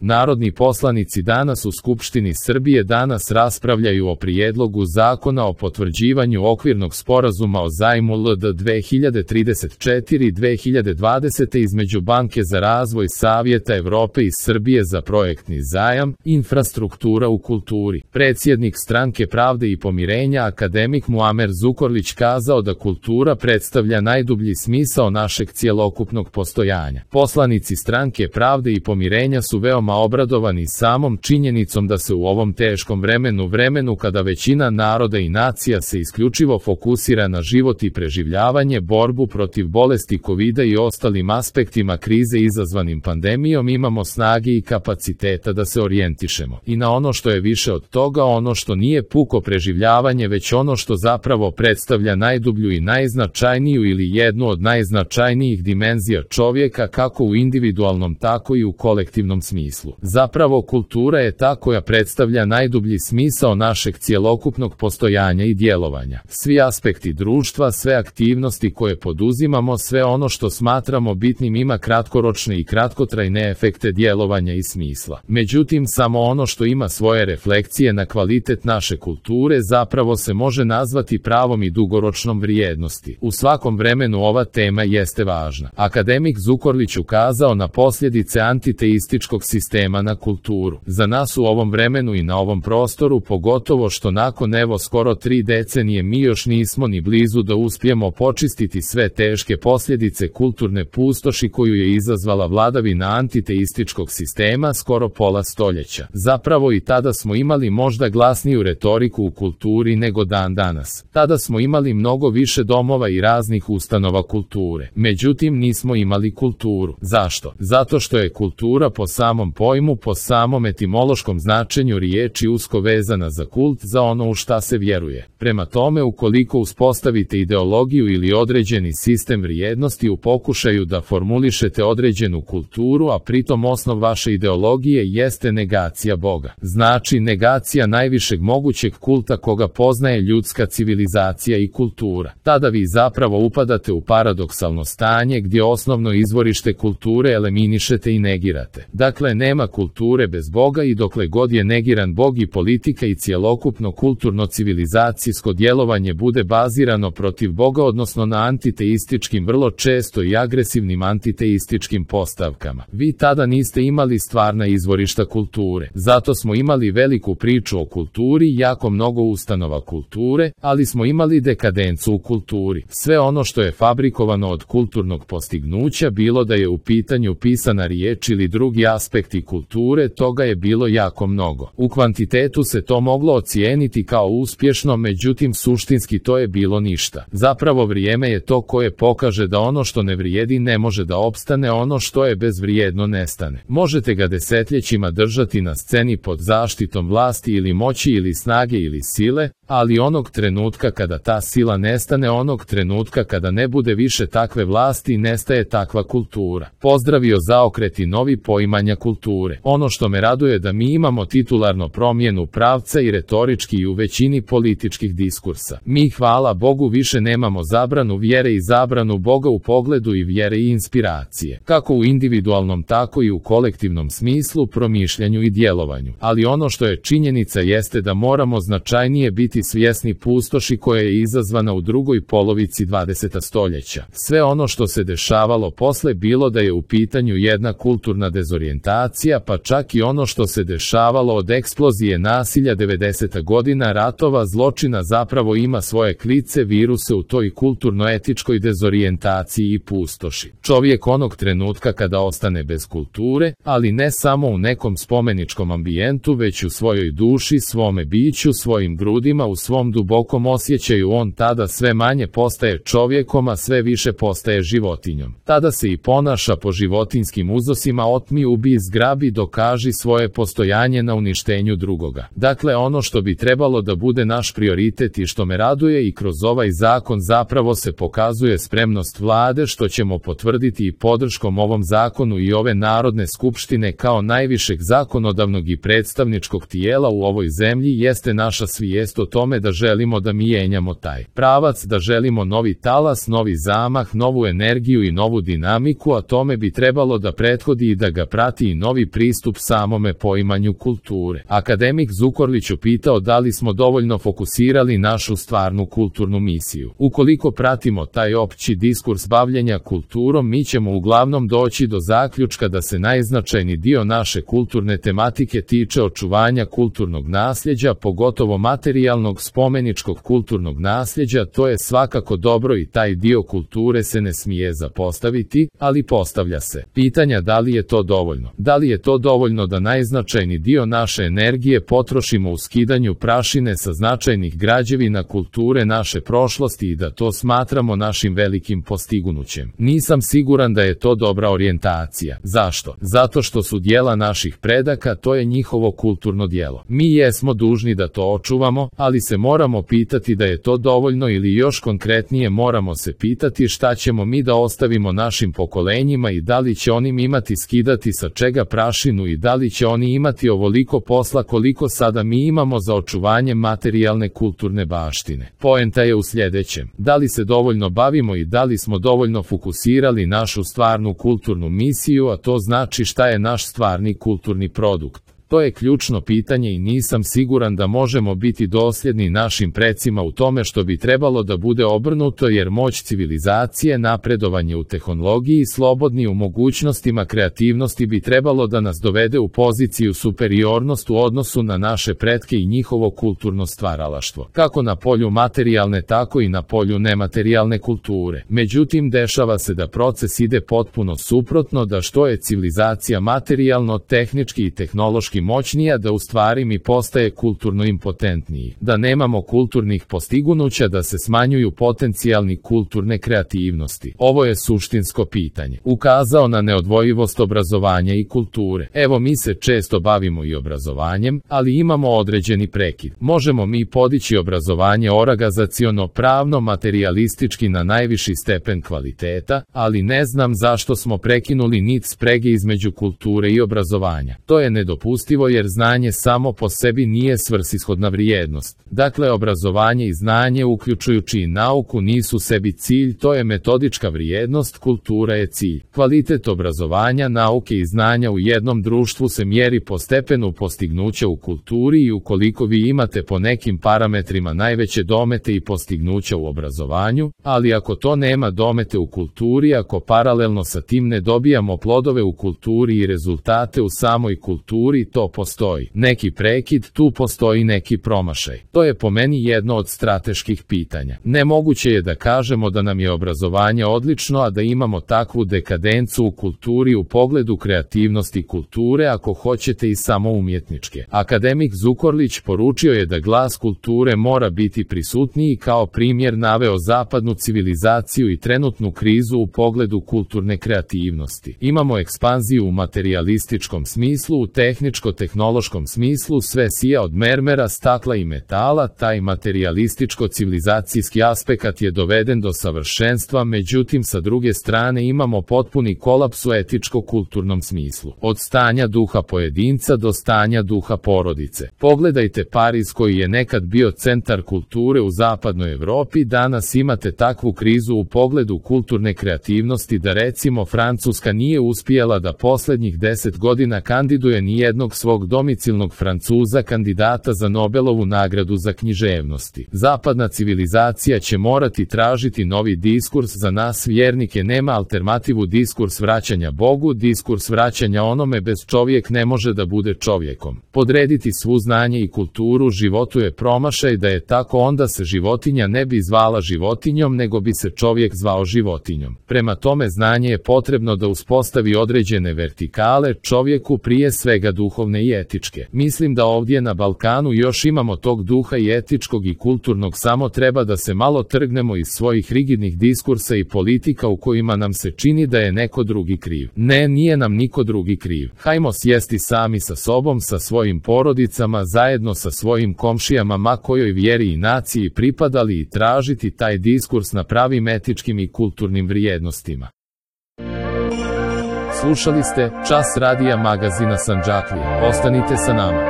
Narodni poslanici danas u Skupštini Srbije danas raspravljaju o prijedlogu zakona o potvrđivanju okvirnog sporazuma o zajmu LD 2034-2020 između Banke za razvoj Savjeta Evrope i Srbije za projektni zajam, infrastruktura u kulturi. Predsjednik Stranke pravde i pomirenja akademik Muamer Zukorlić kazao da kultura predstavlja najdublji smisao našeg cjelokupnog postojanja. Poslanici Stranke pravde i pomirenja su veoma obradovani samom činjenicom da se u ovom teškom vremenu kada većina naroda i nacija se isključivo fokusira na život i preživljavanje, borbu protiv bolesti COVID-a i ostalim aspektima krize izazvanim pandemijom, imamo snage i kapaciteta da se orijentišemo i na ono što je više od toga, ono što nije puko preživljavanje, već ono što zapravo predstavlja najdublju i najznačajniju ili jednu od najznačajnijih dimenzija čovjeka, kako u individualnom tako i u kolektivnom smislu. Zapravo kultura je ta koja predstavlja najdublji smisao našeg cjelokupnog postojanja i djelovanja. Svi aspekti društva, sve aktivnosti koje poduzimamo, sve ono što smatramo bitnim ima kratkoročne i kratkotrajne efekte djelovanja i smisla. Međutim, samo ono što ima svoje refleksije na kvalitet naše kulture zapravo se može nazvati pravom i dugoročnom vrijednosti. U svakom vremenu ova tema jeste važna. Akademik Zukorlić ukazao na posljedice antiteističkog sistema na kulturu. Za nas u ovom vremenu i na ovom prostoru, pogotovo što nakon skoro 3 decenije mi još nismo ni blizu da uspijemo počistiti sve teške posljedice kulturne pustoši koju je izazvala vladavina antiteističkog sistema skoro pola stoljeća. Zapravo i tada smo imali možda glasniju retoriku u kulturi nego dan danas. Tada smo imali mnogo više domova i raznih ustanova kulture. Međutim, nismo imali kulturu. Zašto? Zato što je kultura po samom pojmu, po samom etimološkom značenju riječi usko vezana za kult, za ono u šta se vjeruje. Prema tome, ukoliko uspostavite ideologiju ili određeni sistem vrijednosti u pokušaju da formulišete određenu kulturu, a pritom osnov vaše ideologije jeste negacija Boga, znači negacija najvišeg mogućeg kulta koga poznaje ljudska civilizacija i kultura, tada vi zapravo upadate u paradoksalno stanje gdje osnovno izvorište kulture eliminišete i negirate. Dakle, nema kulture bez Boga i dokle god je negiran Bog i politika i cjelokupno kulturno civilizacijsko djelovanje bude bazirano protiv Boga, odnosno na antiteističkim, vrlo često i agresivnim antiteističkim postavkama, vi tada niste imali stvarna izvorišta kulture. Zato smo imali veliku priču o kulturi, jako mnogo ustanova kulture, ali smo imali dekadencu u kulturi. Sve ono što je fabrikovano od kulturnog postignuća, bilo da je u pitanju pisana riječ ili drugi aspekti kulture, toga je bilo jako mnogo. U kvantitetu se to moglo ocijeniti kao uspješno, međutim suštinski to je bilo ništa. Zapravo vrijeme je to koje pokaže da ono što ne vrijedi ne može da opstane, ono što je bezvrijedno nestane. Možete ga desetljećima držati na sceni pod zaštitom vlasti ili moći ili snage ili sile, ali onog trenutka kada ta sila nestane, onog trenutka kada ne bude više takve vlasti, nestaje takva kultura. Pozdravio zaokret i novi poimanja kulture. Ono što me raduje da mi imamo titularno promjenu pravca i retorički i u većini političkih diskursa. Mi, hvala Bogu, više nemamo zabranu vjere i zabranu Boga u pogledu i vjere i inspiracije, kako u individualnom tako i u kolektivnom smislu, promišljanju i djelovanju. Ali ono što je činjenica jeste da moramo značajnije biti svjesni pustoši koja je izazvana u drugoj polovici 20. stoljeća. Sve ono što se dešavalo posle, bilo da je u pitanju jedna kulturna dezorijentacija, pa čak i ono što se dešavalo od eksplozije nasilja 90. godina, ratova, zločina, zapravo ima svoje klice, viruse u toj kulturno-etičkoj dezorijentaciji i pustoši. Čovjek onog trenutka kada ostane bez kulture, ali ne samo u nekom spomeničkom ambijentu, već u svojoj duši, svome biću, svojim grudima, u svom dubokom osjećaju, on tada sve manje postaje čovjekom, a sve više postaje životinjom. Tada se i ponaša po životinjskim uzosima: otmi, ubij, zgrabi, dokaži svoje postojanje na uništenju drugoga. Dakle, ono što bi trebalo da bude naš prioritet i što me raduje i kroz ovaj zakon zapravo se pokazuje spremnost vlade, što ćemo potvrditi i podrškom ovom zakonu i ove Narodne skupštine kao najvišeg zakonodavnog i predstavničkog tijela u ovoj zemlji, jeste naša svijest o tome da želimo da mijenjamo taj pravac, da želimo novi talas, novi zamah, novu energiju i novu dinamiku, a tome bi trebalo da prethodi i da ga prati i novi pristup samome poimanju kulture. Akademik Zukorlić upitao da li smo dovoljno fokusirali našu stvarnu kulturnu misiju. Ukoliko pratimo taj opći diskurs bavljenja kulturom, mi ćemo uglavnom doći do zaključka da se najznačajniji dio naše kulturne tematike tiče očuvanja kulturnog nasljeđa, pogotovo materijalnog spomeničkog kulturnog nasljeđa. To je svakako dobro i taj dio kulture se ne smije zapostaviti, ali postavlja se pitanja da li je to dovoljno. Da li je to dovoljno da najznačajniji dio naše energije potrošimo u skidanju prašine sa značajnih građevina kulture naše prošlosti i da to smatramo našim velikim postignućem. Nisam siguran da je to dobra orijentacija. Zašto? Zato što su djela naših predaka, to je njihovo kulturno djelo. Mi jesmo dužni da to očuvamo, ali se moramo pitati da je to dovoljno ili još konkretnije moramo se pitati šta ćemo mi da ostavimo našim pokolenjima i da li će oni imati skidati sa čega prašinu i da li će oni imati ovoliko posla koliko sada mi imamo za očuvanje materijalne kulturne baštine. Poenta je u sljedećem. Da li se dovoljno bavimo i da li smo dovoljno fokusirali našu stvarnu kulturnu misiju, a to znači šta je naš stvarni kulturni produkt. To je ključno pitanje i nisam siguran da možemo biti dosljedni našim precima u tome što bi trebalo da bude obrnuto, jer moć civilizacije, napredovanje u tehnologiji, slobodni u mogućnostima kreativnosti bi trebalo da nas dovede u poziciju superiornost u odnosu na naše pretke i njihovo kulturno stvaralaštvo, kako na polju materijalne tako i na polju nematerijalne kulture. Međutim, dešava se da proces ide potpuno suprotno, da što je civilizacija materijalno, tehnički i tehnološki moćnija, da u stvari mi postaje kulturno impotentniji, da nemamo kulturnih postignuća, da se smanjuju potencijalni kulturne kreativnosti. Ovo je suštinsko pitanje. Ukazao na neodvojivost obrazovanja i kulture. Evo, mi se često bavimo i obrazovanjem, ali imamo određeni prekid. Možemo mi podići obrazovanje organizaciono, pravno, materijalistički na najviši stepen kvaliteta, ali ne znam zašto smo prekinuli nit sprege između kulture i obrazovanja. To je nedopustivo, jer znanje samo po sebi nije svrsishodna vrijednost. Dakle, obrazovanje i znanje, uključujući i nauku, nisu sebi cilj, to je metodička vrijednost, kultura je cilj. Kvalitet obrazovanja, nauke i znanja u jednom društvu se mjeri po stepenu postignuća u kulturi i ukoliko vi imate po nekim parametrima najveće domete i postignuća u obrazovanju, ali ako to nema domete u kulturi, ako paralelno sa tim ne dobijamo plodove u kulturi i rezultate u samoj kulturi, to postoji neki prekid, tu postoji neki promašaj. To je po meni jedno od strateških pitanja. Nemoguće je da kažemo da nam je obrazovanje odlično, a da imamo takvu dekadencu u kulturi u pogledu kreativnosti kulture, ako hoćete i samo umjetničke. Akademik Zukorlić poručio je da glas kulture mora biti prisutniji, kao primjer naveo zapadnu civilizaciju i trenutnu krizu u pogledu kulturne kreativnosti. Imamo ekspanziju u materijalističkom smislu, u tehničko-tehnološkom smislu sve sija od mermera, stakla i metala, taj materijalističko-civilizacijski aspekt je doveden do savršenstva, međutim sa druge strane imamo potpuni kolaps u etičko-kulturnom smislu. Od stanja duha pojedinca do stanja duha porodice. Pogledajte Pariz koji je nekad bio centar kulture u zapadnoj Evropi, danas imate takvu krizu u pogledu kulturne kreativnosti da recimo Francuska nije uspjela da posljednjih 10 godina kandiduje nijednog svog domicilnog Francuza kandidata za Nobelovu nagradu za književnosti. Zapadna civilizacija će morati tražiti novi diskurs, za nas vjernike nema alternativu, diskurs vraćanja Bogu, diskurs vraćanja onome bez čovjek ne može da bude čovjekom. Podrediti svu znanje i kulturu životu je promašaj, da je tako onda se životinja ne bi zvala životinjom nego bi se čovjek zvao životinjom. Prema tome znanje je potrebno da uspostavi određene vertikale čovjeku, prije svega duhovne i etičke. Mislim da ovdje na Balkanu još imamo tog duha i etičkog i kulturnog, samo treba da se malo trgnemo iz svojih rigidnih diskursa i politika u kojima nam se čini da je neko drugi kriv. Ne, nije nam niko drugi kriv. Hajmo sjesti sami sa sobom, sa svojim porodicama, zajedno sa svojim komšijama, ma kojoj vjeri i naciji pripadali, i tražiti taj diskurs na pravim etičkim i kulturnim vrijednostima. Slušali ste Čas radija magazina Sandžaklija. Ostanite sa nama.